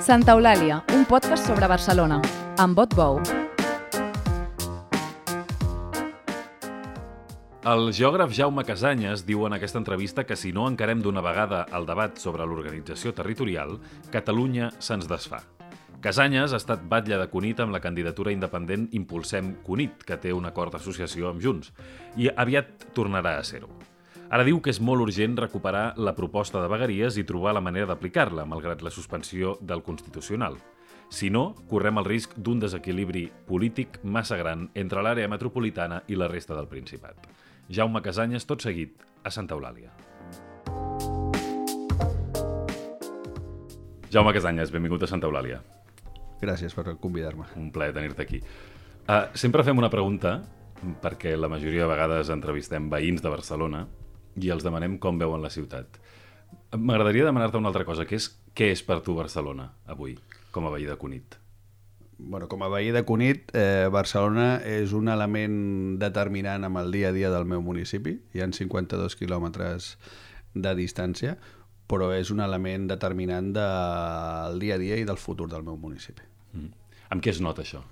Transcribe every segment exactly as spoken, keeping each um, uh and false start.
Santa Eulàlia, un podcast sobre Barcelona, amb Bot Bou. El geògraf Jaume Casañas diu en aquesta entrevista que si no encarem d'una vegada el debat sobre l'organització territorial, Catalunya se'ns desfà. Casañas ha estat batlle de Cunit amb la candidatura independent Impulsem Cunit, que té un acord d'associació amb Junts, i aviat tornarà a ser-ho. Ara diu que és molt urgent recuperar la proposta de vegueries i trobar la manera d'aplicar-la, malgrat la suspensió del Constitucional. Si no, correm el risc d'un desequilibri polític massa gran entre l'àrea metropolitana i la resta del Principat. Jaume Casañas, tot seguit, a Santa Eulàlia. Jaume Casañas, benvingut a Santa Eulàlia. Gràcies per convidar-me. Un plaer tenir-te aquí. Uh, sempre fem una pregunta, perquè la majoria de vegades entrevistem veïns de Barcelona i els demanem com veuen la ciutat. M'agradaria demanar-te una altra cosa, que és què és per tu Barcelona avui, com a veí de Cunit? Bueno, com a veí de Cunit, eh, Barcelona és un element determinant amb el dia a dia del meu municipi. Hi ha cinquanta-dos quilòmetres de distància, però és un element determinant del dia a dia i del futur del meu municipi. Mm. Amb què es nota això?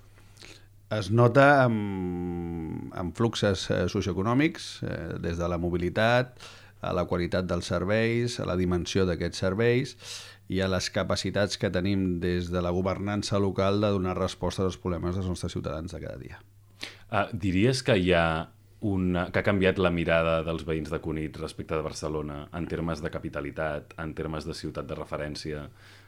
Es nota amb, amb fluxes eh, socioeconòmics, eh, des de la mobilitat, a la qualitat dels serveis, a la dimensió d'aquests serveis i a les capacitats que tenim des de la governança local de donar resposta als problemes dels nostres ciutadans de cada dia. Uh, diries que hi ha una, que ha canviat la mirada dels veïns de Cunit respecte de Barcelona en termes de capitalitat, en termes de ciutat de referència,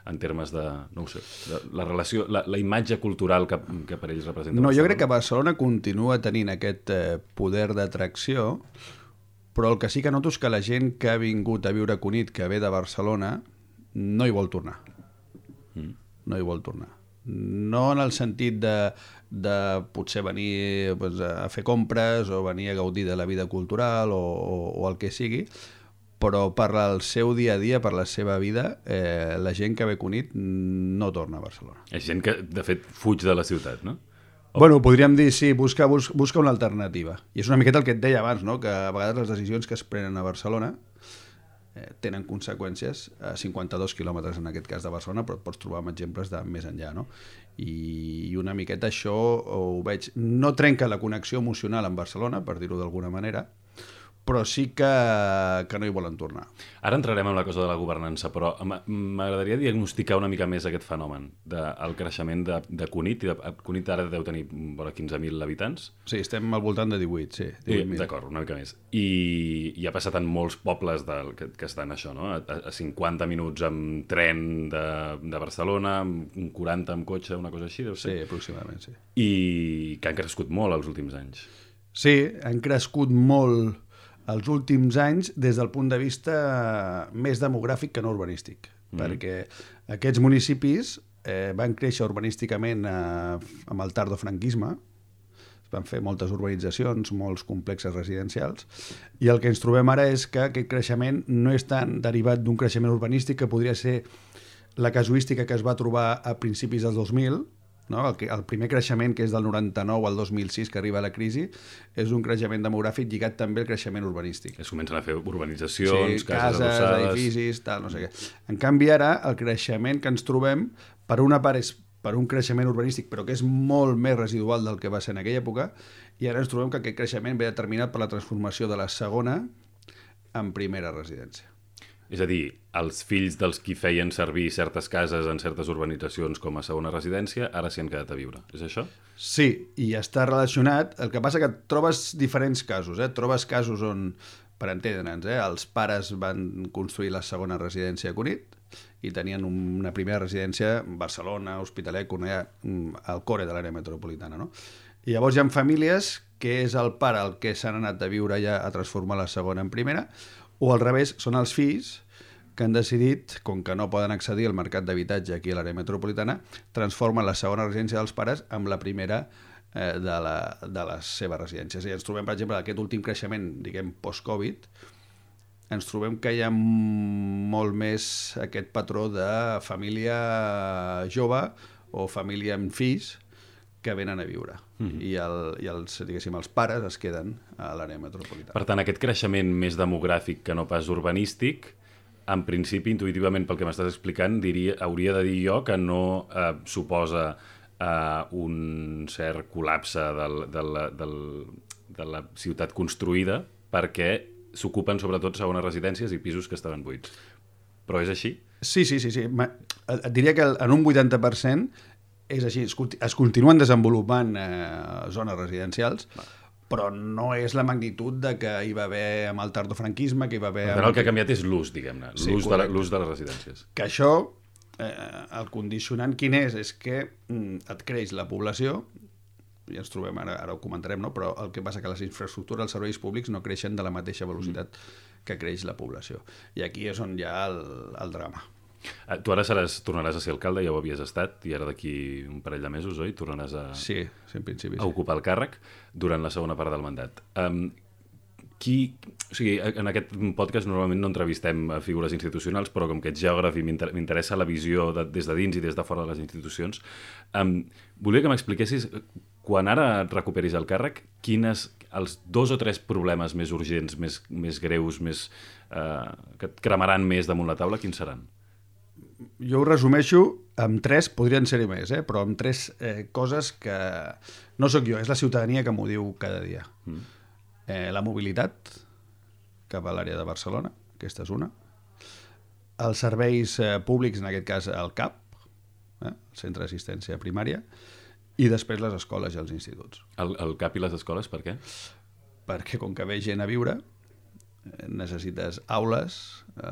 en termes de, no ho sé, de la relació, la, la imatge cultural que, que per ells representa No, Barcelona? jo crec que Barcelona continua tenint aquest eh, poder d'atracció, però el que sí que noto és que la gent que ha vingut a viure a Cunit, que ve de Barcelona, no hi vol tornar. Mm. No hi vol tornar. No en el sentit de, de potser venir pues, a fer compres o venir a gaudir de la vida cultural o, o, o el que sigui, però per el seu dia a dia, per la seva vida, eh, la gent que ve a Cunit no torna a Barcelona. És gent que, de fet, fuig de la ciutat, no? O... Bueno, podríem dir, sí, busca, busca, busca una alternativa. I és una miqueta el que et deia abans, no? Que a vegades les decisions que es prenen a Barcelona eh, tenen conseqüències a cinquanta-dos quilòmetres, en aquest cas de Barcelona, però et pots trobar amb exemples de més enllà, no? I, i una miqueta això ho veig... No trenca la connexió emocional amb Barcelona, per dir-ho d'alguna manera, però sí que, que no hi volen tornar. Ara entrarem en la cosa de la governança, però m'agradaria diagnosticar una mica més aquest fenomen del creixement de, de Cunit. De, Cunit ara deu tenir vora quinze mil habitants. Sí, estem al voltant de divuit, sí. divuit mil. D'acord, una mica més. I, i ha passat en molts pobles del, que, que estan això, no? A, a cinquanta minuts amb tren de, de Barcelona, amb quaranta amb cotxe, una cosa així, deu ser? Sí, aproximadament, sí. I que han crescut molt els últims anys. Sí, han crescut molt els últims anys des del punt de vista més demogràfic que no urbanístic, mm. perquè aquests municipis eh, van créixer urbanísticament eh, amb el tardofranquisme, es van fer moltes urbanitzacions, molts complexes residencials, i el que ens trobem ara és que aquest creixement no és tan derivat d'un creixement urbanístic que podria ser la casuística que es va trobar a principis del dos mil, no? El, que, el primer creixement, que és del noranta-nou al dos mil sis, que arriba a la crisi, és un creixement demogràfic lligat també al creixement urbanístic. Es comencen a fer urbanitzacions, sí, cases, cases adossades... edificis, tal, no sé què. En canvi, ara, el creixement que ens trobem, per una part és per un creixement urbanístic, però que és molt més residual del que va ser en aquella època, i ara ens trobem que aquest creixement ve determinat per la transformació de la segona en primera residència. És a dir, els fills dels qui feien servir certes cases en certes urbanitzacions com a segona residència, ara s'hi han quedat a viure. És això? Sí, i està relacionat. El que passa que trobes diferents casos. Eh? Trobes casos on, per entendre'ns, eh? els pares van construir la segona residència a Cunit i tenien una primera residència a Barcelona, Hospitalet, Cornellà, al core de l'àrea metropolitana. No? I llavors hi ha famílies que és el pare el que s'han anat a viure ja a transformar la segona en primera, o al revés, són els fills que han decidit, com que no poden accedir al mercat d'habitatge aquí a l'àrea metropolitana, transformen la segona residència dels pares amb la primera eh, de, la, de les seves residències. I ens trobem, per exemple, aquest últim creixement, diguem, post-Covid, ens trobem que hi ha molt més aquest patró de família jove o família amb fills que venen a viure. Mm-hmm. I, el, i els, diguéssim, els pares es queden a l'àrea metropolitana. Per tant, aquest creixement més demogràfic que no pas urbanístic en principi, intuïtivament, pel que m'estàs explicant, diria, hauria de dir jo que no eh, suposa eh, un cert col·lapse del, del, del, de la ciutat construïda perquè s'ocupen sobretot segones residències i pisos que estaven buits. Però és així? Sí, sí, sí. sí. Et diria que en un vuitanta per cent és així. Es continuen desenvolupant eh, zones residencials, Va. però no és la magnitud de que hi va haver amb el tardofranquisme, que hi va haver... Per tant, el que ha canviat és l'ús, diguem-ne, sí, l'ús, de, l'ús de les residències. Que això, eh, el condicionant quin és? És que mm, et creix la població, i ens trobem, ara, ara ho comentarem, no? Però el que passa que les infraestructures, els serveis públics no creixen de la mateixa velocitat mm. que creix la població. I aquí és on hi ha el, el drama. Tu ara seràs, tornaràs a ser alcalde, ja ho havies estat, i ara d'aquí un parell de mesos, oi? Tornaràs a, sí, sí, en principi, sí. a ocupar el càrrec durant la segona part del mandat. Um, qui, o sigui, en aquest podcast normalment no entrevistem a figures institucionals, però com que ets geògraf i m'interessa la visió de, des de dins i des de fora de les institucions, um, volia que m'expliquessis, quan ara et recuperis el càrrec, quines, els dos o tres problemes més urgents, més, més greus, més, uh, que et cremaran més damunt la taula, quins seran? Jo ho resumeixo amb tres, podrien ser-hi més, eh? però amb tres eh, coses que no sóc jo, és la ciutadania que m'ho diu cada dia. Mm. Eh, la mobilitat cap a l'àrea de Barcelona, aquesta és una. Els serveis eh, públics, en aquest cas el C A P, eh? el Centre d'Assistència Primària, i després les escoles i els instituts. El, el C A P i les escoles, per què? Perquè com que ve gent a viure, necessites aules,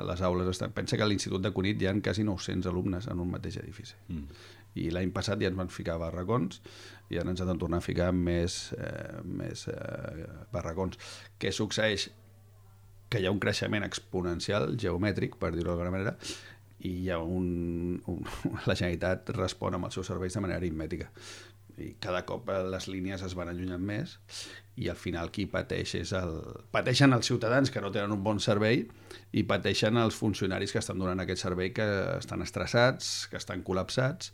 les aules estan... Pensa que a l'Institut de Cunit hi ha quasi nou-cents alumnes en un mateix edifici. Mm. I l'any passat ja ens van ficar barracons i ara ens han de tornar a ficar més, eh, més eh, barracons. Què succeeix? Que hi ha un creixement exponencial, geomètric, per dir-ho d'alguna manera, i hi ha un, un... la Generalitat respon amb els seus serveis de manera aritmètica. I cada cop les línies es van allunyant més i al final qui pateix és el... pateixen els ciutadans que no tenen un bon servei i pateixen els funcionaris que estan donant aquest servei, que estan estressats, que estan col·lapsats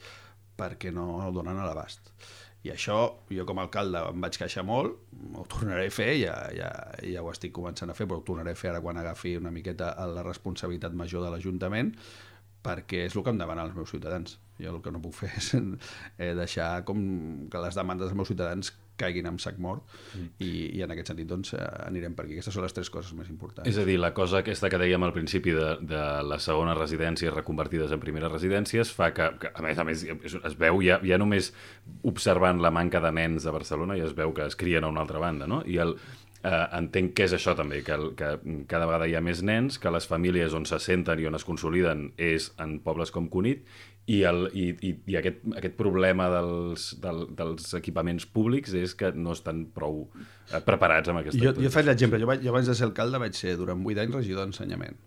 perquè no el donen a l'abast. I això, jo com a alcalde em vaig queixar molt, ho tornaré a fer, ja, ja, ja ho estic començant a fer, però ho tornaré a fer ara quan agafi una miqueta la responsabilitat major de l'Ajuntament, perquè és el que em demanen els meus ciutadans. Jo el que no puc fer és eh, deixar com que les demandes dels meus ciutadans caiguin en sac mort mm. i, i en aquest sentit doncs, anirem per aquí. Aquestes són les tres coses més importants. És a dir, la cosa aquesta que dèiem al principi de, de les segones residències reconvertides en primeres residències fa que, que a més a més, es veu ja, ja només observant la manca de nens a Barcelona ja es veu que es crien a una altra banda, no? I el Uh, entenc que és això també, que, el, que cada vegada hi ha més nens, que les famílies on se senten i on es consoliden és en pobles com Cunit, i, el, i, i, i aquest, aquest problema dels, del, dels equipaments públics és que no estan prou uh, preparats amb aquesta jo, jo faig l'exemple, jo, jo abans de ser alcalde vaig ser durant vuit anys regidor d'ensenyament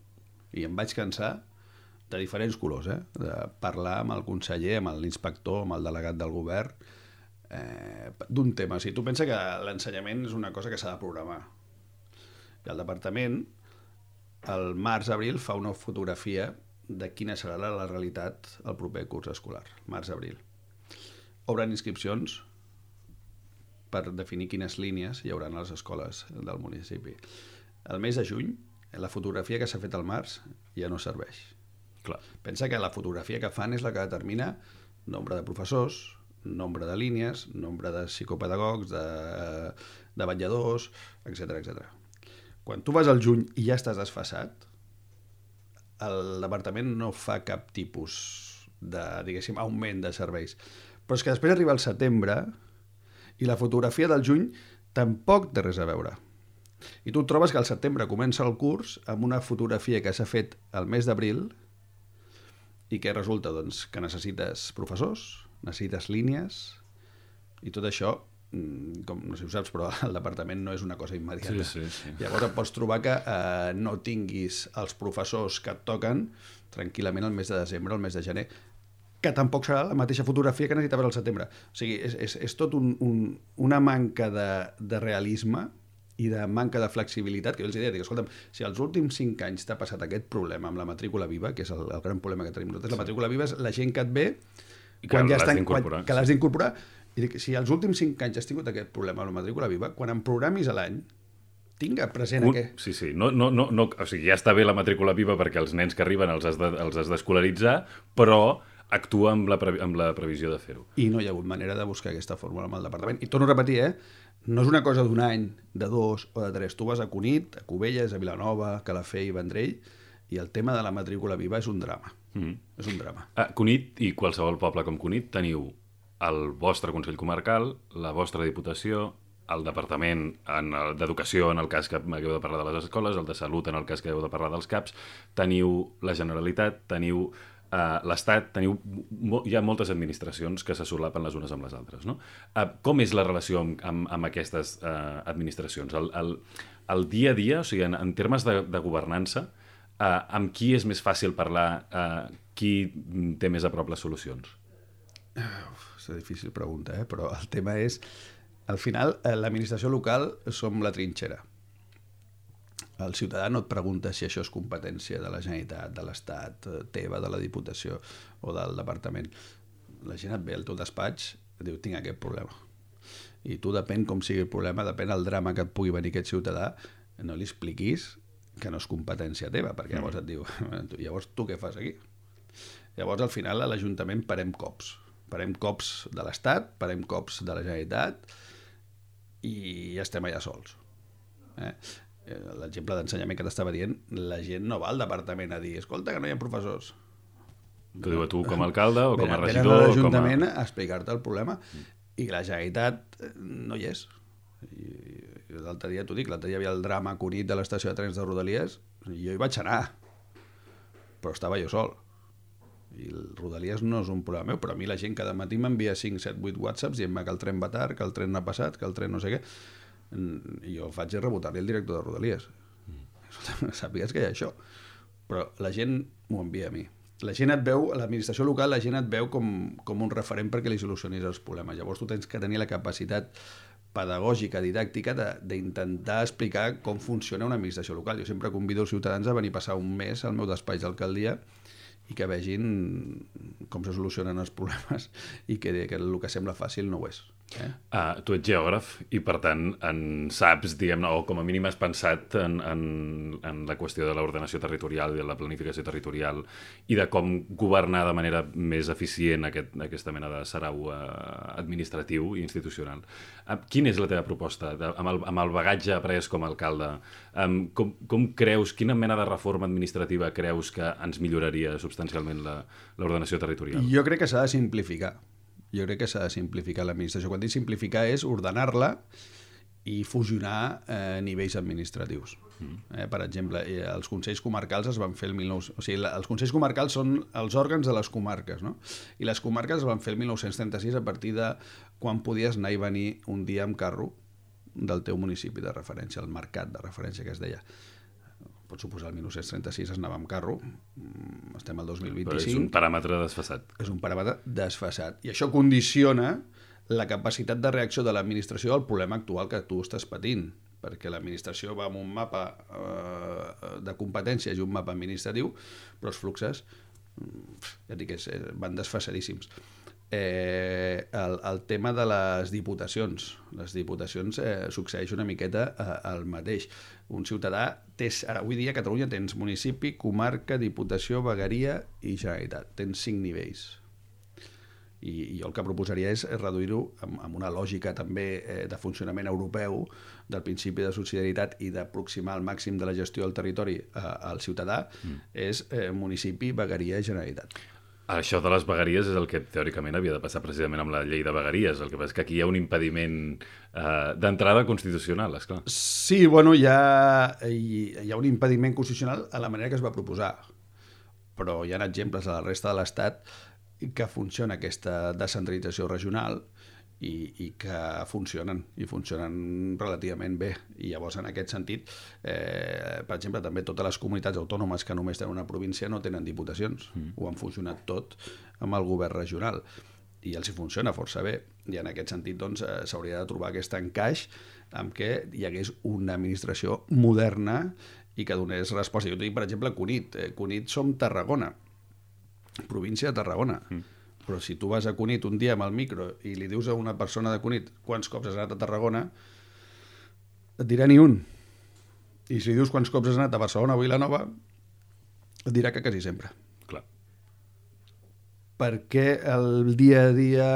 i em vaig cansar de diferents colors, eh? De parlar amb el conseller, amb l'inspector, amb el delegat del govern, Eh, d'un tema. O sigui, tu pensa que l'ensenyament és una cosa que s'ha de programar i el departament al març-abril fa una fotografia de quina serà la, la realitat el proper curs escolar, març-abril. Obren inscripcions per definir quines línies hi haurà a les escoles del municipi. El mes de juny, la fotografia que s'ha fet al març ja no serveix. Clar. Pensa que la fotografia que fan és la que determina nombre de professors, nombre de línies, nombre de psicopedagogs, de, de vetlladors, etcètera, etcètera. Quan tu vas al juny i ja estàs desfasat, el departament no fa cap tipus de, diguéssim, augment de serveis. Però és que després arriba el setembre i la fotografia del juny tampoc té res a veure. I tu trobes que al setembre comença el curs amb una fotografia que s'ha fet al mes d'abril i que resulta doncs, que necessites professors, necessites línies i tot això, com no sé si ho saps, però el departament no és una cosa immediata. Sí, sí, sí. Llavors et pots trobar que eh, no tinguis els professors que et toquen tranquil·lament el mes de desembre, el mes de gener, que tampoc serà la mateixa fotografia que necessitaves al setembre. O sigui, és, és, és tot un, un, una manca de, de realisme i de manca de flexibilitat, que jo els deia, dic, escolta'm, si als últims cinc anys t'ha passat aquest problema amb la matrícula viva, que és el, el gran problema que tenim nosaltres, sí. La matrícula viva és la gent que et ve quan que ja l'has estan, quan, que l'has sí. d'incorporar, i dic, si als últims cinc anys has tingut aquest problema amb la matrícula viva, quan em programis a l'any, tinga present Un, aquest. sí, sí. No, no, no, no, o sigui, ja està bé la matrícula viva perquè els nens que arriben els has de, els has d'escolaritzar, però actua amb la, pre, amb la previsió de fer-ho. I no hi ha hagut manera de buscar aquesta fórmula amb el departament. I torno a repetir, eh? No és una cosa d'un any, de dos o de tres. Tu vas a Cunit, a Cubelles, a Vilanova, a Calafell, Vendrell, i el tema de la matrícula viva és un drama. Mm. És un drama. A Cunit i qualsevol poble com Cunit teniu el vostre Consell Comarcal, la vostra Diputació, el Departament d'Educació, en el cas que hagueu de parlar de les escoles, el de Salut, en el cas que hagueu de parlar dels CAPs, teniu la Generalitat, teniu Uh, l'Estat, teniu, hi ha moltes administracions que se solapen les unes amb les altres, no? Uh, com és la relació amb, amb, amb aquestes uh, administracions? El, el, el dia a dia, o sigui, en, en termes de, de governança, uh, amb qui és més fàcil parlar, uh, qui té més a prop les solucions? Uf, és una difícil pregunta, eh? Però el tema és, al final, l'administració local som la trinxera. El ciutadà no et pregunta si això és competència de la Generalitat, de l'Estat, teva, de la Diputació o del Departament. La gent et ve al teu despatx i diu, tinc aquest problema. I tu, depèn com sigui el problema, depèn del drama que et pugui venir aquest ciutadà, no li expliquis que no és competència teva, perquè llavors et diu, llavors tu què fas aquí? Llavors, al final, a l'Ajuntament parem cops. Parem cops de l'Estat, parem cops de la Generalitat i estem allà sols. Eh? L'exemple d'ensenyament que t'estava dient, la gent no va al departament a dir, escolta, que no hi ha professors. T'ho diu a tu com a alcalde o com a regidor? Venen a l'Ajuntament a... a explicar-te el problema i la Generalitat no hi és. I, i l'altre dia, t'ho dic, l'altre dia hi havia el drama Cunit de l'estació de trens de Rodalies i jo hi vaig anar, però estava jo sol. I el Rodalies no és un problema meu, però a mi la gent cada matí m'envia cinc, set, vuit whatsapps dient que el tren va tard, que el tren no ha passat, que el tren no sé què. I jo faig és rebotar-li el director de Rodalies. Mm. Sàpigues que hi ha això. Però la gent m'ho envia a mi. La gent et veu, a l'administració local, la gent et veu com, com un referent perquè li solucionis els problemes. Llavors tu tens que tenir la capacitat pedagògica, didàctica, d'intentar explicar com funciona una administració local. Jo sempre convido els ciutadans a venir a passar un mes al meu despatx d'alcaldia i que vegin com se solucionen els problemes i que, que el que sembla fàcil no ho és. Eh? Uh, tu ets geògraf i, per tant, en saps, diguem-ne, o com a mínim has pensat en, en, en la qüestió de l'ordenació territorial i de la planificació territorial i de com governar de manera més eficient aquest, aquesta mena de sarau uh, administratiu i institucional. Uh, quina és la teva proposta de, amb, el, amb el bagatge après com a alcalde? Um, com, com creus, quina mena de reforma administrativa creus que ens milloraria substancialment l'ordenació territorial? Jo crec que s'ha de simplificar. Jo crec que s'ha de simplificar l'administració. Quan dic simplificar és ordenar-la i fusionar eh, nivells administratius. Mm. Eh, per exemple, eh, els consells comarcals es van fer el mil nou-cents... O sigui, la, els consells comarcals són els òrgans de les comarques, no? I les comarques es van fer el mil nou-cents trenta-sis a partir de quan podies anar i venir un dia amb carro del teu municipi de referència, el mercat de referència que es deia. Pot suposar el mil nou-cents trenta-sis es anava amb carro, estem al dos mil vint-i-cinc. Però és un paràmetre desfasat. És un paràmetre desfasat. I això condiciona la capacitat de reacció de l'administració al problema actual que tu estàs patint, perquè l'administració va amb un mapa eh, de competències i un mapa administratiu, però els fluxes ja dic, és, van desfasadíssims. Eh, el, el tema de les diputacions. Les diputacions eh, succeeix una miqueta eh, el mateix. Un ciutadà té, ara avui dia a Catalunya tens municipi, comarca, diputació, vegueria i Generalitat. Tens cinc nivells. I, i jo el que proposaria és reduir-ho amb, amb una lògica també eh, de funcionament europeu, del principi de subsidiarietat i d'aproximar al màxim de la gestió del territori eh, al ciutadà, mm. és eh, municipi, vegueria i Generalitat. Això de les vegueries és el que teòricament havia de passar precisament amb la llei de vegueries. El que passa és que aquí hi ha un impediment eh, d'entrada constitucional, esclar. Sí, bueno, hi ha, hi, hi ha un impediment constitucional a la manera que es va proposar. Però hi ha exemples a la resta de l'Estat que funciona aquesta descentralització regional i, i que funcionen, i funcionen relativament bé. I llavors, en aquest sentit, eh, per exemple, també totes les comunitats autònomes que només tenen una província no tenen diputacions. Mm. Ho han funcionat tot amb el govern regional. I els hi funciona força bé. I en aquest sentit, doncs, eh, s'hauria de trobar aquest encaix amb què hi hagués una administració moderna i que donés resposta. Jo t'ho dic, per exemple, Cunit. Eh, Cunit som Tarragona, província de Tarragona. Mm. Però si tu vas a Cunit un dia amb el micro i li dius a una persona de Cunit quants cops has anat a Tarragona, et dirà ni un. I si dius quants cops has anat a Barcelona o Vilanova, et dirà que quasi sempre. Clar. Perquè el dia a dia,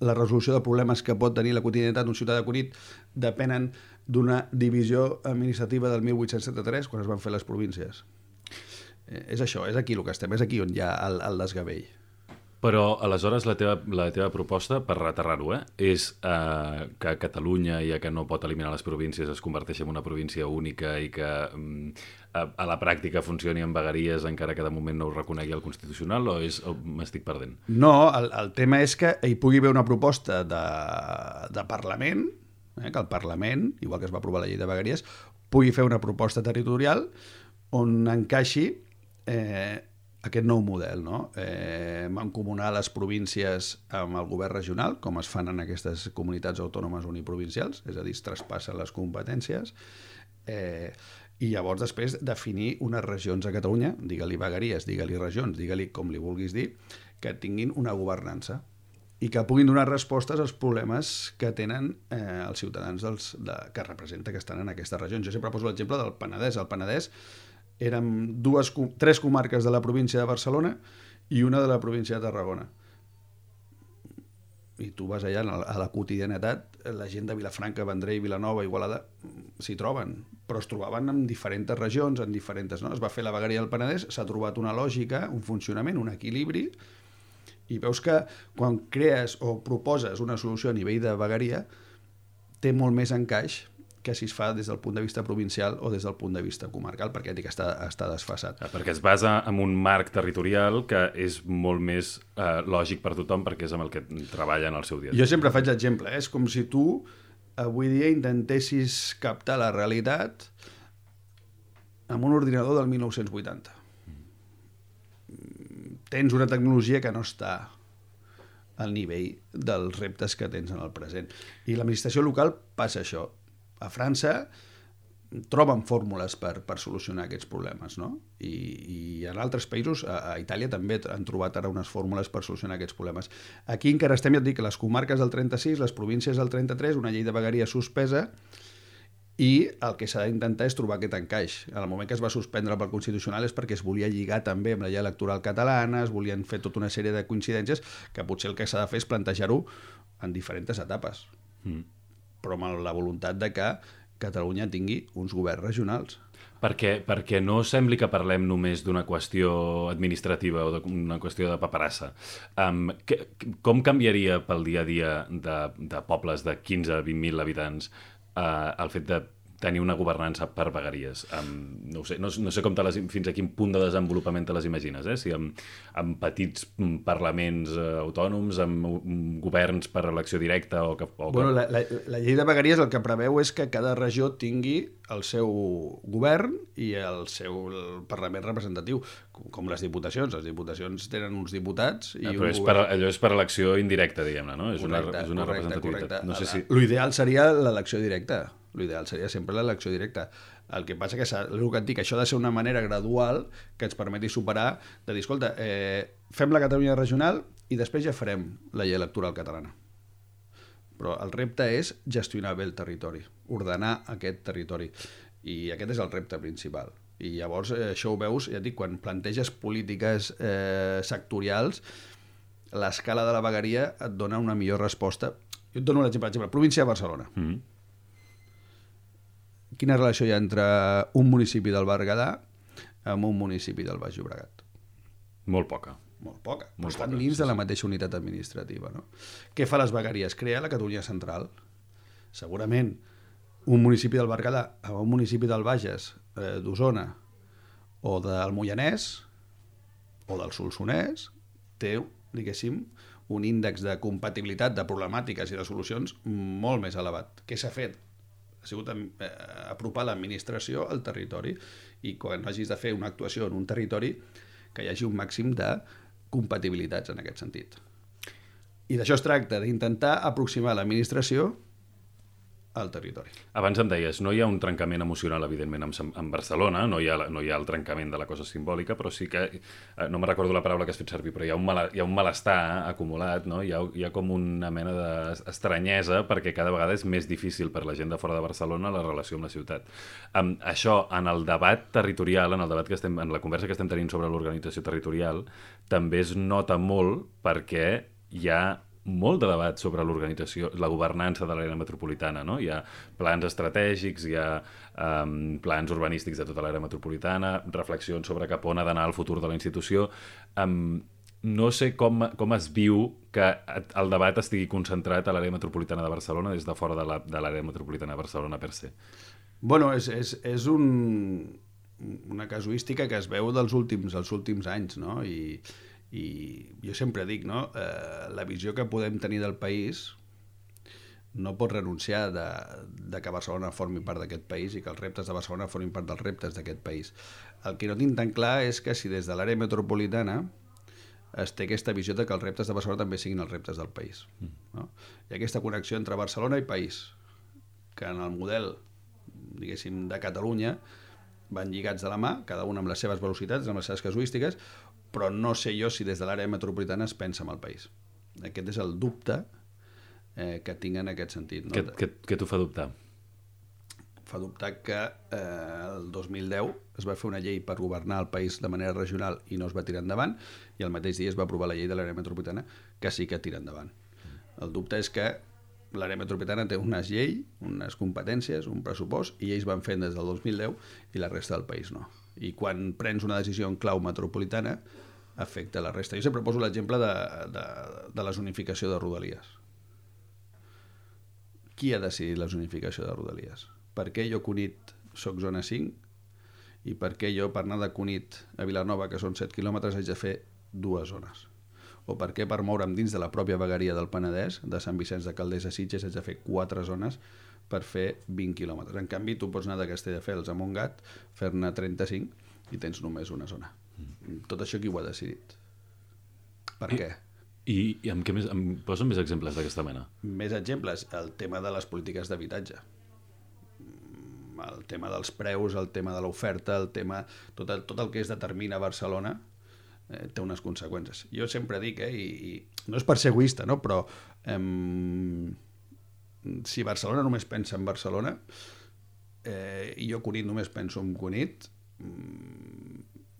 la resolució de problemes que pot tenir la quotidianitat d'un ciutadà de Cunit depenen d'una divisió administrativa del mil vuit-cents setanta-tres, quan es van fer les províncies. Eh, és això, és aquí el que estem, és aquí on hi ha el, el desgavell. Però, aleshores, la teva, la teva proposta, per reterrar-ho, eh, és eh, que Catalunya, ja que no pot eliminar les províncies, es converteixi en una província única i que mm, a, a la pràctica funcioni amb vegueries, encara que de moment no ho reconegui el Constitucional, o, és, o m'estic perdent? No, el, el tema és que hi pugui haver una proposta de, de Parlament, eh, que el Parlament, igual que es va aprovar la llei de vegueries, pugui fer una proposta territorial on encaixi eh, aquest nou model, no? Eh, mancomunar les províncies amb el govern regional, com es fan en aquestes comunitats autònomes uniprovincials, és a dir, es traspassen les competències, eh, i llavors després definir unes regions a Catalunya, digue-li vegueries, digue-li regions, digue-li com li vulguis dir, que tinguin una governança i que puguin donar respostes als problemes que tenen eh, els ciutadans dels, de, que representa que estan en aquestes regions. Jo sempre poso l'exemple del Penedès. El Penedès eren dues, tres comarques de la província de Barcelona i una de la província de Tarragona. I tu vas allà a la quotidianitat, la gent de Vilafranca, Vendrell, Vilanova, Igualada s'hi troben, però es trobaven en diferents regions, en diferents... No? Es va fer la vegueria del Penedès, s'ha trobat una lògica, un funcionament, un equilibri, i veus que quan crees o proposes una solució a nivell de vegueria té molt més encaix que si es fa des del punt de vista provincial o des del punt de vista comarcal, perquè ja dic que està, està desfasat. Perquè es basa en un marc territorial que és molt més eh, lògic per tothom, perquè és amb el que treballa en el seu dia. Jo sempre faig l'exemple, eh? És com si tu avui dia intentessis captar la realitat amb un ordinador del mil nou-cents vuitanta. Mm. Tens una tecnologia que no està al nivell dels reptes que tens en el present. I l'administració local passa això. A França troben fórmules per, per solucionar aquests problemes, no? I, i en altres països, a, a Itàlia també han trobat ara unes fórmules per solucionar aquests problemes. Aquí encara estem, ja et dic, les comarques del trenta-sis, les províncies del trenta-tres, una llei de vegueria suspesa, i el que s'ha d'intentar és trobar aquest encaix. En el moment que es va suspendre pel Constitucional és perquè es volia lligar també amb la llei electoral catalana, es volien fer tota una sèrie de coincidències que potser el que s'ha de fer és plantejar-ho en diferents etapes. Mm. Però amb la voluntat de que Catalunya tingui uns governs regionals. Perquè, perquè no sembli que parlem només d'una qüestió administrativa o d'una qüestió de paperassa. Um, que, com canviaria pel dia a dia de, de pobles de quinze a vint mil habitants uh, el fet de tenir una governança per vegueries? Um, no ho sé, no, no sé com te les, fins a quin punt de desenvolupament te les imagines, eh? Si amb, amb petits parlaments uh, autònoms, amb um, governs per elecció directa o que... O bueno, que... la, la, la llei de vegueries el que preveu és que cada regió tingui el seu govern i el seu el Parlament representatiu, com, com les diputacions. Les diputacions tenen uns diputats i ah, un però és govern... per, allò és per elecció indirecta, diguem-ne, no? És correcte, una, és una correcte, representativitat. correcte. No sé si... L'ideal seria l'elecció directa. L'ideal seria sempre l'elecció directa. El que passa que, el que et dic, això ha de ser una manera gradual que ens permeti superar, de dir, escolta, eh, fem la Catalunya regional i després ja farem la llei electoral catalana. Però el repte és gestionar bé el territori, ordenar aquest territori. I aquest és el repte principal. I llavors eh, això ho veus, ja et dic, quan planteges polítiques eh, sectorials, l'escala de la vegueria et dona una millor resposta. Jo et dono un exemple, exemple, província de Barcelona. Mm-hmm. Quina relació hi ha entre un municipi del Berguedà amb un municipi del Baix Llobregat? Molt poca. Molt poca, però Molt estan poca, dins sí, de la sí. mateixa unitat administrativa. No? Què fa les vegueries? Crea la Catalunya central. Segurament un municipi del Berguedà amb un municipi del Bages, eh, d'Osona, o del Moianès, o del Solsonès, té, diguéssim, un índex de compatibilitat de problemàtiques i de solucions molt més elevat. Què s'ha fet? Ha sigut eh, apropar l'administració al territori i quan hagis de fer una actuació en un territori que hi hagi un màxim de compatibilitats en aquest sentit. I d'això es tracta, d'intentar aproximar l'administració al territori. Abans em deies, no hi ha un trencament emocional, evidentment, amb, amb Barcelona, no hi, ha, no hi ha el trencament de la cosa simbòlica, però sí que, eh, no me recordo la paraula que has fet servir, però hi ha un, mal, hi ha un malestar acumulat, no? Hi ha, hi ha com una mena d'estranyesa perquè cada vegada és més difícil per la gent de fora de Barcelona la relació amb la ciutat. Um, això, en el debat territorial, en el debat que estem, en la conversa que estem tenint sobre l'organització territorial, també es nota molt perquè hi ha molt de debat sobre l'organització, la governança de l'àrea metropolitana, no? Hi ha plans estratègics, hi ha um, plans urbanístics de tota l'àrea metropolitana, reflexions sobre cap on ha d'anar el futur de la institució. Um, no sé com, com es viu que el debat estigui concentrat a l'àrea metropolitana de Barcelona des de fora de l'àrea la, metropolitana de Barcelona per se. Bueno, és, és, és un, una casuística que es veu dels últims, els últims anys, no? I I jo sempre dic, no? Eh, la visió que podem tenir del país no pot renunciar de, de que Barcelona formi part d'aquest país i que els reptes de Barcelona formin part dels reptes d'aquest país. El que no tinc tan clar és que si des de l'àrea metropolitana es té aquesta visió de que els reptes de Barcelona també siguin els reptes del país. No? Hi ha aquesta connexió entre Barcelona i país, que en el model, diguéssim, de Catalunya van lligats de la mà, cada un amb les seves velocitats, amb les seves casuístiques, però no sé jo si des de l'àrea metropolitana es pensa en el país. Aquest és el dubte eh, que tinc en aquest sentit. No? Què, què, què t'ho fa dubtar? Fa dubtar que eh, el dos mil deu es va fer una llei per governar el país de manera regional i no es va tirar endavant, i el mateix dia es va aprovar la llei de l'àrea metropolitana que sí que tira endavant. El dubte és que l'àrea metropolitana té unes lleis, unes competències, un pressupost, i ells van fent des del dos mil deu i la resta del país no. I quan prens una decisió en clau metropolitana afecta la resta. Jo sempre poso l'exemple de, de, de la zonificació de Rodalies. Qui ha decidit la zonificació de Rodalies? Per què jo, Cunit, soc zona cinc, i per què jo, per anar de Cunit a Vilanova, que són set quilòmetres, haig de fer dues zones? O per què per moure'm dins de la pròpia vegueria del Penedès, de Sant Vicenç de Calders a Sitges, haig de fer quatre zones per fer vint quilòmetres? En canvi, tu pots anar de Castelldefels a Montgat, fer-ne trenta-cinc i tens només una zona. Tot això qui ho ha decidit? Per I, què? I, i amb què més, em posen més exemples d'aquesta mena? Més exemples, el tema de les polítiques d'habitatge. El tema dels preus, el tema de l'oferta, el tema... Tot el, tot el que es determina a Barcelona eh, té unes conseqüències. Jo sempre dic, eh, i, i no és per ser egoista, no? Però eh, si Barcelona només pensa en Barcelona eh, i jo, Cunit, només penso en Cunit,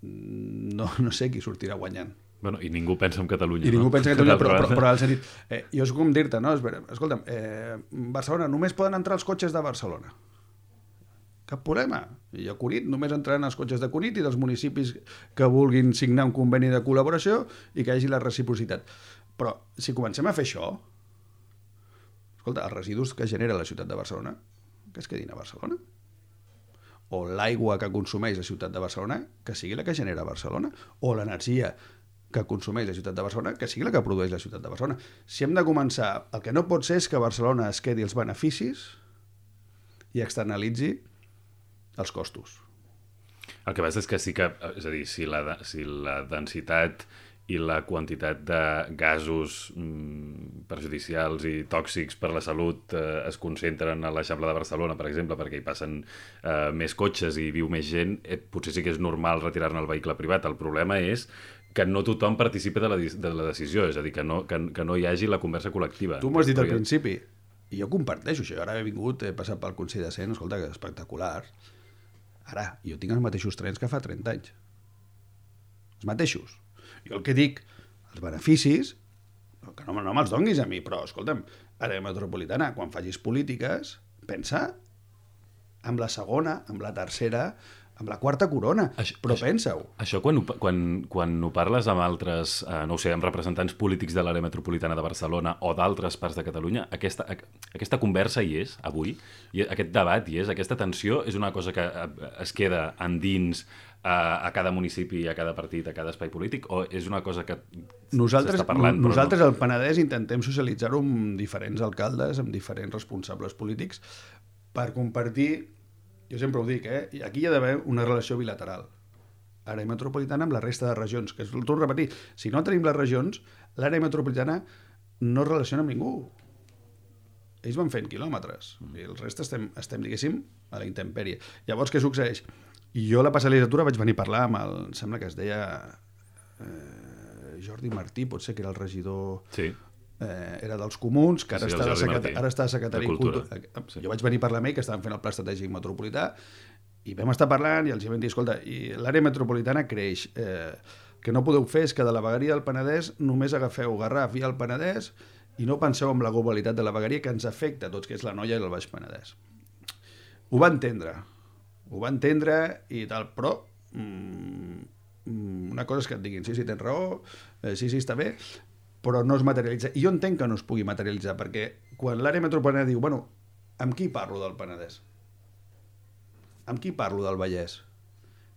no, no sé qui sortirà guanyant. Bueno, i ningú pensa en Catalunya. I ningú no? pensa en Catalunya, però, però, però al sentit... Eh, jo és com dir-te, no? Escolta'm, eh, Barcelona, només poden entrar els cotxes de Barcelona. Cap problema. I a Cunit només entraran els cotxes de Cunit i dels municipis que vulguin signar un conveni de col·laboració i que hi hagi la reciprocitat. Però si comencem a fer això, escolta, els residus que genera la ciutat de Barcelona, que es quedin a Barcelona. O l'aigua que consumeix la ciutat de Barcelona, que sigui la que genera Barcelona, o l'energia que consumeix la ciutat de Barcelona, que sigui la que produeix la ciutat de Barcelona. Si hem de començar, el que no pot ser és que Barcelona es quedi els beneficis i externalitzi els costos. El que passa és que sí que, és a dir, si la, si la densitat i la quantitat de gasos mm, perjudicials i tòxics per la salut eh, es concentren a l'Eixample de Barcelona, per exemple, perquè hi passen eh, més cotxes i viu més gent, eh, potser sí que és normal retirar-ne el vehicle privat. El problema és que no tothom participa de la, de la decisió, és a dir, que no, que, que no hi hagi la conversa col·lectiva. Tu m'ho has dit al principi, i jo comparteixo això. Ara he vingut, he passat pel Consell de Cent, escolta, que és espectacular. Ara, jo tinc els mateixos trens que fa trenta anys. Els mateixos. Jo el que dic, els beneficis, que no, no me'ls donguis a mi, però, escolta'm, àrea metropolitana, quan facis polítiques, pensa amb la segona, amb la tercera, amb la quarta corona, això, però pensa-ho. Això quan ho, quan, quan ho parles amb altres, eh, no ho sé, amb representants polítics de l'àrea metropolitana de Barcelona o d'altres parts de Catalunya, aquesta, aquesta conversa hi és, avui, i aquest debat hi és, aquesta tensió és una cosa que es queda endins a, a cada municipi, a cada partit, a cada espai polític, o és una cosa que nosaltres, s'està parlant? Nosaltres no? al Penedès intentem socialitzar-ho amb diferents alcaldes, amb diferents responsables polítics, per compartir... Jo sempre ho dic, eh? I aquí hi ha d'haver una relació bilateral. Àrea metropolitana amb la resta de regions, que és el torno a repetir. Si no tenim les regions, l'àrea metropolitana no es relaciona amb ningú. ells van fent quilòmetres, mm. i el rest estem, estem, diguéssim, a la intempèrie. Llavors, què succeeix? I jo la passada legislatura vaig venir a parlar amb el, em sembla que es deia eh, Jordi Martí, potser que era el regidor... Sí. Eh, era dels Comuns, que ara, sí, està, de secretari, ara està de secretari de Cultura. Cultura. Sí. Jo vaig venir a parlar amb ell, que estaven fent el pla estratègic metropolità, i vam estar parlant i els vam dir, escolta, i l'àrea metropolitana creix, eh, que no podeu fer és que de la vegueria del Penedès només agafeu Garraf i el Penedès i no penseu en la globalitat de la vegueria que ens afecta a tots, que és la Noia i el Baix Penedès. Ho va entendre, ho va entendre i tal, però mm, una cosa és que et diguin, sí, sí, tens raó, eh, sí, sí, està bé, però no es materialitza. I jo entenc que no es pugui materialitzar, perquè quan l'àrea metropolitana diu, bueno, amb qui parlo del Penedès? Amb qui parlo del Vallès?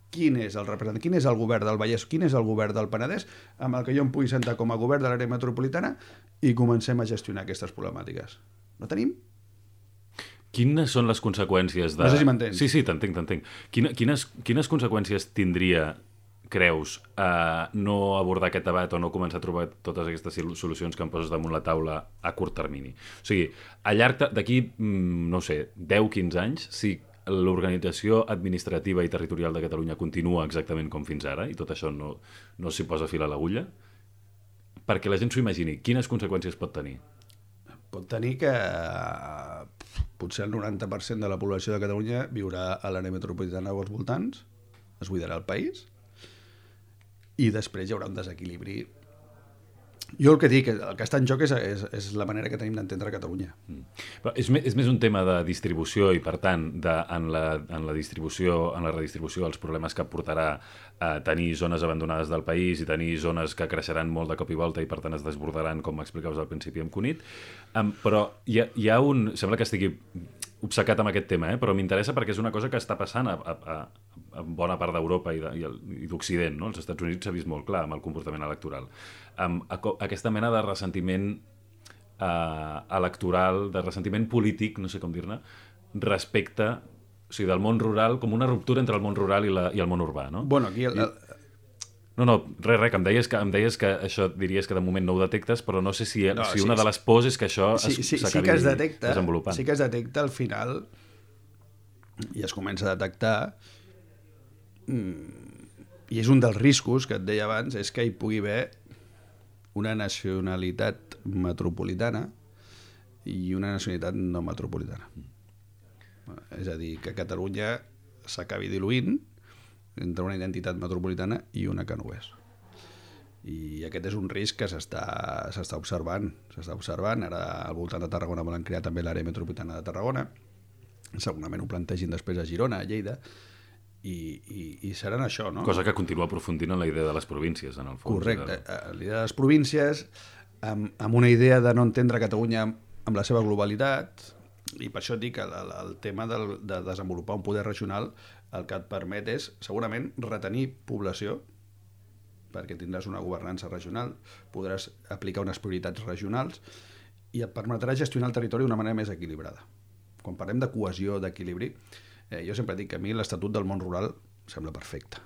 Quin és el representant? Quin és el govern del Vallès? Quin és el govern del Penedès amb el que jo em pugui sentar com a govern de l'àrea metropolitana i comencem a gestionar aquestes problemàtiques? No tenim? Quines són les conseqüències de... No sé si m'entens. Sí, sí, t'entenc, t'entenc. Quina, quines, quines conseqüències tindria, creus, a no abordar aquest debat o no començar a trobar totes aquestes solucions que em poses damunt la taula a curt termini? O sigui, a llarg d'aquí, no sé, deu quinze anys, si l'organització administrativa i territorial de Catalunya continua exactament com fins ara i tot això no, no s'hi posa fil a l'agulla, perquè la gent s'ho imagini, quines conseqüències pot tenir? Pot tenir que potser el noranta per cent de la població de Catalunya viurà a l'àrea metropolitana o als voltants, es buidarà el país, i després hi haurà un desequilibri. Jo el que dic, el que està en joc és, és, és la manera que tenim d'entendre Catalunya. Mm. Però és, és més un tema de distribució i, per tant, de, en, la, en la distribució, en la redistribució, els problemes que portarà a tenir zones abandonades del país i tenir zones que creixeran molt de cop i volta i, per tant, es desbordaran, com m'explicaves al principi amb Cunit. Um, però hi ha, hi ha un... Sembla que estigui obcecat amb aquest tema, eh? Però m'interessa perquè és una cosa que està passant a, a, a bona part d'Europa i, de, i d'Occident, no? Els Estats Units s'ha vist molt clar amb el comportament electoral. Um, a, aquesta mena de ressentiment uh, electoral, de ressentiment polític, no sé com dir-ne, respecte, o sigui, del món rural, com una ruptura entre el món rural i, la, i el món urbà, no? Bueno, aquí... El, el... No, no, res, res, que em deies que, em deies que això diries que de moment no ho detectes, però no sé si, no, si sí, una de les pors és que això sí, es, sí, s'acabi sí que es detecta, desenvolupant. Sí que es detecta al final i es comença a detectar i és un dels riscos que et deia abans, és que hi pugui haver una nacionalitat metropolitana i una nacionalitat no metropolitana. És a dir, que Catalunya s'acabi diluint entre una identitat metropolitana i una que no ho és. I aquest és un risc que s'està s'està observant. S'està observant. Ara al voltant de Tarragona volen crear també l'àrea metropolitana de Tarragona. Segurament ho plantegin després a Girona, a Lleida, i, i, i seran això, no? Cosa que continua aprofundint en la idea de les províncies, en el fons. Correcte. De... La idea de les províncies, amb, amb una idea de no entendre Catalunya amb la seva globalitat, i per això et dic que el, el tema del, de desenvolupar un poder regional el que et permet és, segurament, retenir població, perquè tindràs una governança regional, podràs aplicar unes prioritats regionals i et permetrà gestionar el territori d'una manera més equilibrada. Quan parlem de cohesió, d'equilibri, eh, jo sempre dic que a mi l'Estatut del món rural sembla perfecte,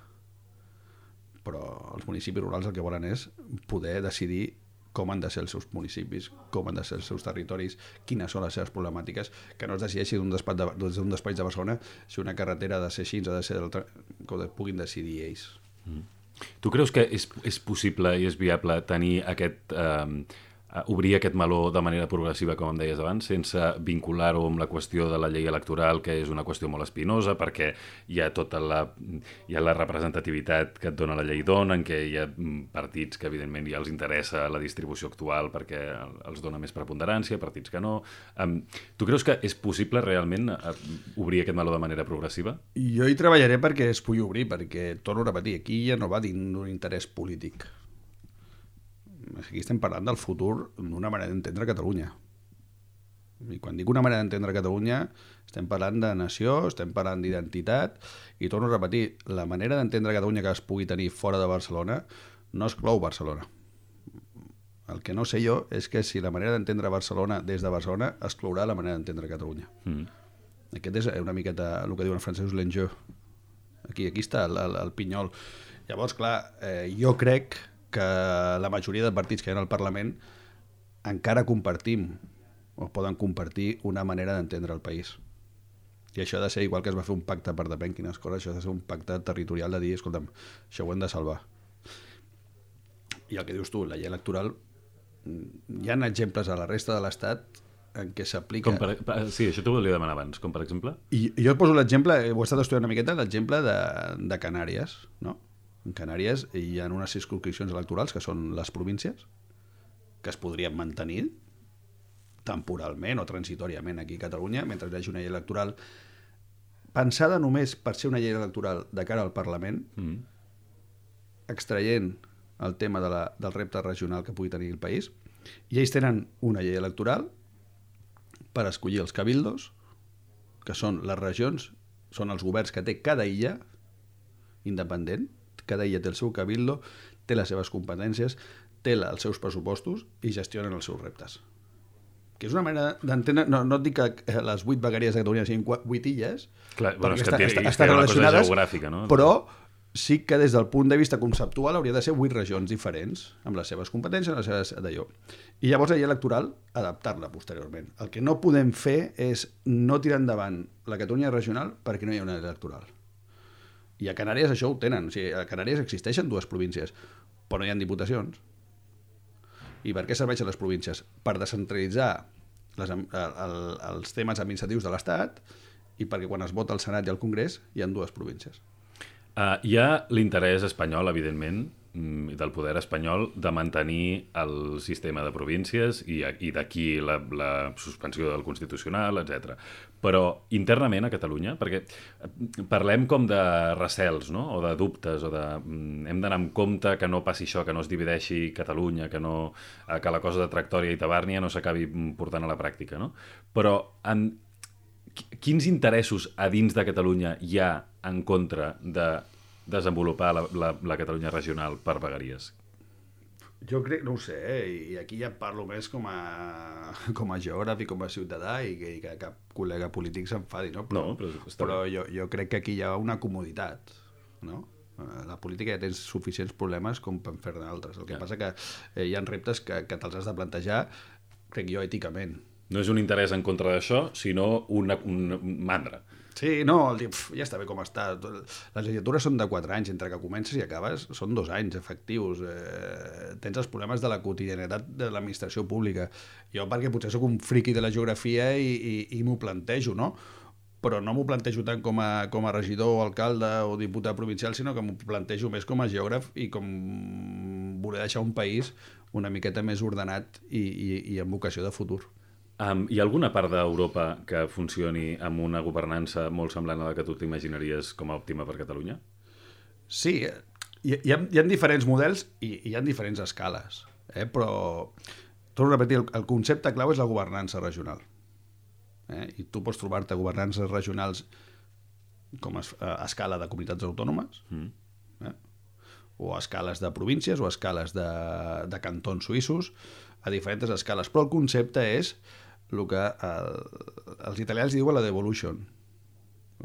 però els municipis rurals el que volen és poder decidir com han de ser els seus municipis, com han de ser els seus territoris, quines són les seves problemàtiques, que no es decideixi d'un despatx de, d'un despatx de Barcelona si una carretera ha de ser així, ha de ser d'altra, que ho puguin decidir ells. Mm. Tu creus que és, és possible i és viable tenir aquest... Eh, obrir aquest meló de manera progressiva, com em deies abans, sense vincular-ho amb la qüestió de la llei electoral, que és una qüestió molt espinosa, perquè hi ha tota la, hi ha la representativitat que et dona la llei dona, en què hi ha partits que, evidentment, ja els interessa la distribució actual perquè els dona més preponderància, partits que no. Um, tu creus que és possible realment obrir aquest meló de manera progressiva? Jo hi treballaré perquè es pugui obrir, perquè, torno a repetir, aquí ja no va dins d'un interès polític. Aquí estem parlant del futur d'una manera d'entendre Catalunya. I quan dic una manera d'entendre Catalunya, estem parlant de nació, estem parlant d'identitat, i torno a repetir, la manera d'entendre Catalunya que es pugui tenir fora de Barcelona no exclou Barcelona. El que no sé jo és que si la manera d'entendre Barcelona des de Barcelona exclourà la manera d'entendre Catalunya. Mm. Aquest és una miqueta el que diuen els francesos l'enjeu. Aquí, aquí està el, el, el pinyol. Llavors, clar, eh, jo crec que la majoria de partits que hi ha al Parlament encara compartim o poden compartir una manera d'entendre el país. I això ha de ser igual que es va fer un pacte per depèn quines coses, això ha de ser un pacte territorial de dir, escolta'm, això ho hem de salvar. I el que dius tu, la llei electoral, hi ha exemples a la resta de l'Estat en què s'aplica... Per... Sí, això t'ho volia demanar abans, com per exemple? I jo et poso l'exemple, ho he estat estudiant una miqueta, l'exemple de, de Canàries, no? En Canàries hi ha unes circunscripcions electorals que són les províncies, que es podrien mantenir temporalment o transitoriament aquí a Catalunya, mentre hi hagi una llei electoral pensada només per ser una llei electoral de cara al Parlament, mm. extraient el tema de la, del repte regional que pugui tenir el país, i ells tenen una llei electoral per escollir els cabildos, que són les regions, són els governs que té cada illa independent, cada illa té el seu cabildo, té les seves competències, té els seus pressupostos i gestionen els seus reptes. Que és una manera d'entendre... No, no et dic que les vuit vegueries de Catalunya siguin vuit illes, clar, bueno, és que està, té, està, estan relacionades, no? Però sí que des del punt de vista conceptual hauria de ser vuit regions diferents, amb les seves competències, amb les seves d'allò. I llavors la llei electoral, adaptar-la posteriorment. El que no podem fer és no tirar endavant la Catalunya regional perquè no hi ha una llei electoral. I a Canàries això ho tenen. O sigui, a Canàries existeixen dues províncies, però no hi ha diputacions. I per què serveixen les províncies? Per descentralitzar les, el, el, els temes administratius de l'Estat i perquè quan es vota al Senat i al Congrés hi ha dues províncies. Uh, hi ha l'interès espanyol, evidentment, i del poder espanyol, de mantenir el sistema de províncies i, i d'aquí la, la suspensió del Constitucional, etcètera. Però internament a Catalunya, perquè parlem com de recels, no? O de dubtes, o de hem d'anar amb compte que no passi això, que no es divideixi Catalunya, que, no, que la cosa de Tractòria i Tabàrnia no s'acabi portant a la pràctica, no? Però en, quins interessos a dins de Catalunya hi ha en contra de desenvolupar la, la, la Catalunya regional per vegueries? Jo crec, no ho sé, eh? I aquí ja parlo més com a, com a geògraf i com a ciutadà i que, i que cap col·lega polític s'enfadi, no? Però, no, però, però jo, jo crec que aquí hi ha una comoditat, no? La política ja tens suficients problemes com per fer-ne altres. El que ja. passa que eh, hi ha reptes que, que te'ls has de plantejar, crec jo, èticament. No és un interès en contra d'això, sinó una, un mandra. Sí, no, el dir, pf, ja està bé com està. Les legislatures són de quatre anys, entre que comences i acabes són dos anys efectius. Eh, tens els problemes de la quotidianitat de l'administració pública. Jo perquè potser sóc un friqui de la geografia i, i, i m'ho plantejo, no? Però no m'ho plantejo tant com a, com a regidor o alcalde o diputat provincial, sinó que m'ho plantejo més com a geògraf i com voler deixar un país una miqueta més ordenat i, i, i amb vocació de futur. Um, hi ha alguna part d'Europa que funcioni amb una governança molt semblant a la que tu t'imaginaries com a òptima per Catalunya? Sí, hi, hi, ha, hi ha diferents models i hi ha diferents escales, eh? Però torno a repetir, el, el concepte clau és la governança regional. Eh? I tu pots trobar-te governances regionals com a, a escala de comunitats autònomes, mm. eh? o a escales de províncies o a escales de, de cantons suïssos, a diferents escales. Però el concepte és el que el, els italians diuen la devolution,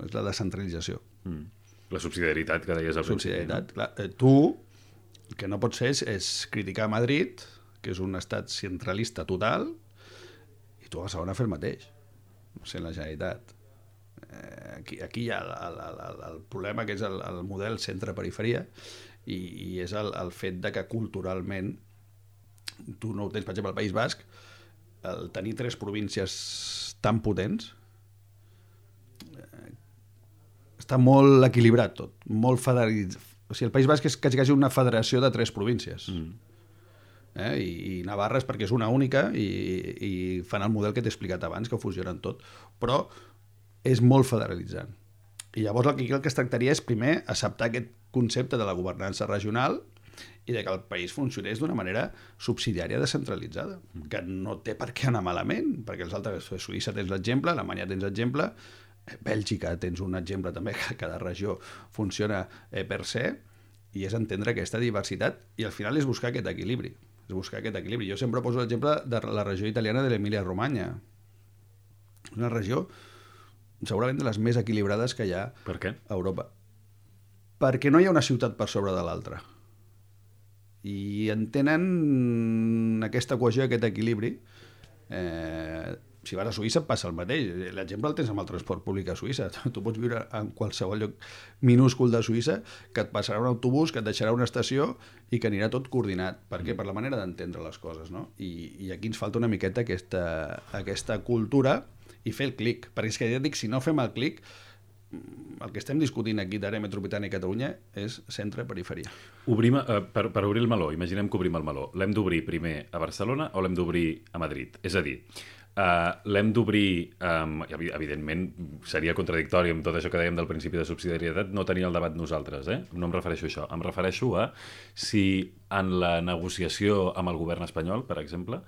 és la descentralització. Mm. La subsidiarietat que deies al principi. Subsidiarietat, clar. Eh, tu, el que no pots fer és, és criticar Madrid, que és un estat centralista total, i tu a Barcelona fer el mateix, sent la Generalitat. Eh, aquí, aquí hi ha el, el, el, el problema que és el, el model centre-periferia i, i és el, el fet de que culturalment tu no ho tens, per exemple, al País Basc, el tenir tres províncies tan potents eh, està molt equilibrat tot, molt federalitzat. O sigui, el País Basc és quasi, quasi una federació de tres províncies. Mm. Eh? I, I Navarra és perquè és una única i, i fan el model que t'he explicat abans, que ho fusionen tot. Però és molt federalitzant. I llavors el que, el que es tractaria és primer acceptar aquest concepte de la governança regional i de que el país funcionés d'una manera subsidiària descentralitzada, mm. que no té per què anar malament, perquè els altres, Suïssa tens l'exemple, Alemanya tens l'exemple, Bèlgica tens un exemple també, que cada regió funciona eh, per se, i és entendre aquesta diversitat, i al final és buscar aquest equilibri, és buscar aquest equilibri. Jo sempre poso l'exemple de la regió italiana de l'Emília-Romanya. És una regió segurament de les més equilibrades que hi ha per què? A Europa. Perquè no hi ha una ciutat per sobre de l'altra. I entenen aquesta cohesió, aquest equilibri, Eh, si vas a Suïssa passa el mateix. L'exemple el tens amb el transport públic a Suïssa. Tu pots viure en qualsevol lloc minúscul de Suïssa, que et passarà un autobús, que et deixarà una estació i que anirà tot coordinat. Per què? Per la manera d'entendre les coses, no? I, i aquí ens falta una miqueta aquesta, aquesta cultura i fer el clic. Perquè és que ja et dic, si no fem el clic, el que estem discutint aquí d'àrea metropolitana i Catalunya és centre-periferia. Obrim, eh, per, per obrir el meló, imaginem que obrim el meló. L'hem d'obrir primer a Barcelona o l'hem d'obrir a Madrid? És a dir, Uh, l'hem d'obrir, um, evidentment seria contradictori amb tot això que dèiem del principi de subsidiarietat, no tenir el debat nosaltres, eh? No em refereixo a això, em refereixo a si en la negociació amb el govern espanyol, per exemple,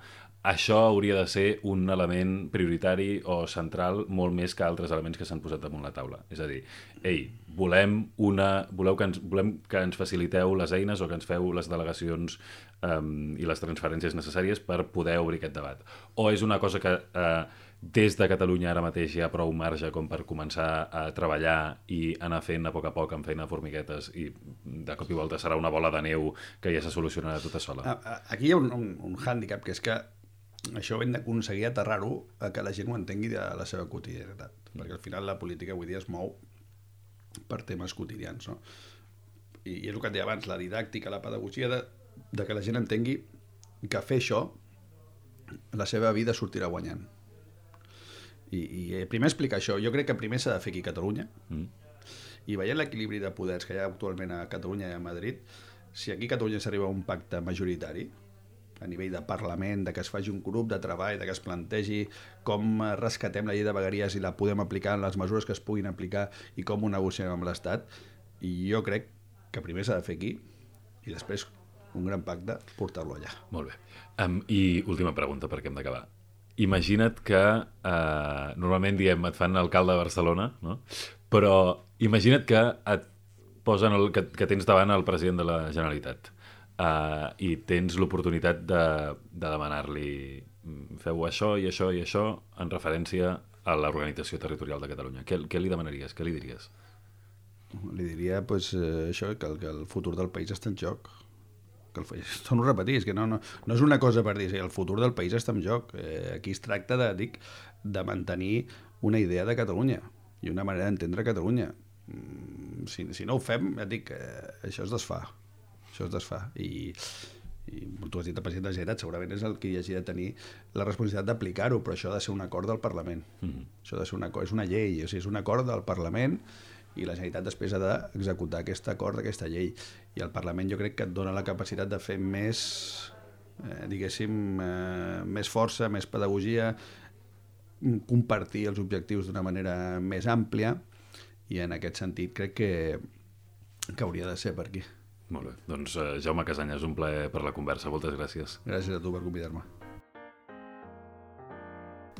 això hauria de ser un element prioritari o central molt més que altres elements que s'han posat damunt la taula. És a dir, ei, volem, una, voleu que ens, volem que ens faciliteu les eines o que ens feu les delegacions um, i les transferències necessàries per poder obrir aquest debat. O és una cosa que uh, des de Catalunya ara mateix hi ha prou marge com per començar a treballar i anar fent a poc a poc amb feina de formiguetes i de cop i volta serà una bola de neu que ja se solucionarà tota sola. Aquí hi ha un, un, un hàndicap, que és que això ho hem d'aconseguir aterrar-ho a que la gent ho entengui de la seva quotidianitat, perquè al final la política avui dia es mou per temes quotidians, no? I, i és el que et deia abans, la didàctica, la pedagogia de, de que la gent entengui que fer això la seva vida sortirà guanyant. I, i primer explicar això, jo crec que primer s'ha de fer aquí a Catalunya, mm. i veient l'equilibri de poders que hi ha actualment a Catalunya i a Madrid, si aquí a Catalunya s'arriba a un pacte majoritari a nivell de Parlament, de que es faci un grup de treball, de que es plantegi com rescatem la llei de vegueries i la podem aplicar en les mesures que es puguin aplicar i com ho negociem amb l'Estat. I jo crec que primer s'ha de fer aquí i després un gran pacte portar-lo allà. Molt bé. Um, I última pregunta, perquè hem d'acabar. Imagina't que, uh, normalment diem, et fan alcalde de Barcelona, no? Però imagina't que et posen el, que, que tens davant el president de la Generalitat. Uh, i tens l'oportunitat de, de demanar-li feu això i això i això en referència a l'organització territorial de Catalunya. Què, què li demanaries? Què li diries? Li diria pues, eh, això, que el, que el futur del país està en joc. Que el, torno a repetir, és que no, no, no és una cosa per dir, el futur del país està en joc. Eh, aquí es tracta de, dic, de mantenir una idea de Catalunya i una manera d'entendre Catalunya. Si, si no ho fem, ja dic, eh, això es desfà. Això es desfà. I, i tu has dit el president de la Generalitat, segurament és el que hi hagi de tenir la responsabilitat d'aplicar-ho, però això ha de ser un acord del Parlament. Mm-hmm. Això ha de ser un acord, és una llei, o sigui, és un acord del Parlament i la Generalitat després ha d'executar aquest acord d'aquesta llei. I el Parlament jo crec que et dona la capacitat de fer més, eh, diguéssim, eh, més força, més pedagogia, compartir els objectius d'una manera més àmplia, i en aquest sentit crec que, que hauria de ser per aquí. Molt bé. Doncs uh, Jaume Casanyes, un plaer per la conversa. Moltes gràcies. Gràcies a tu per convidar-me.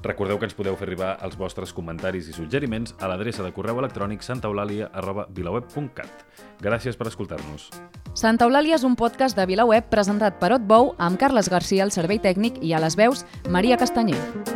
Recordeu que ens podeu fer arribar els vostres comentaris i suggeriments a l'adreça de correu electrònic santaeulàlia arroba vilaweb punt cat. Gràcies per escoltar-nos. Santa Eulàlia és un podcast de VilaWeb presentat per Otbou amb Carles Garcia al servei tècnic i a les veus Maria Castanyer.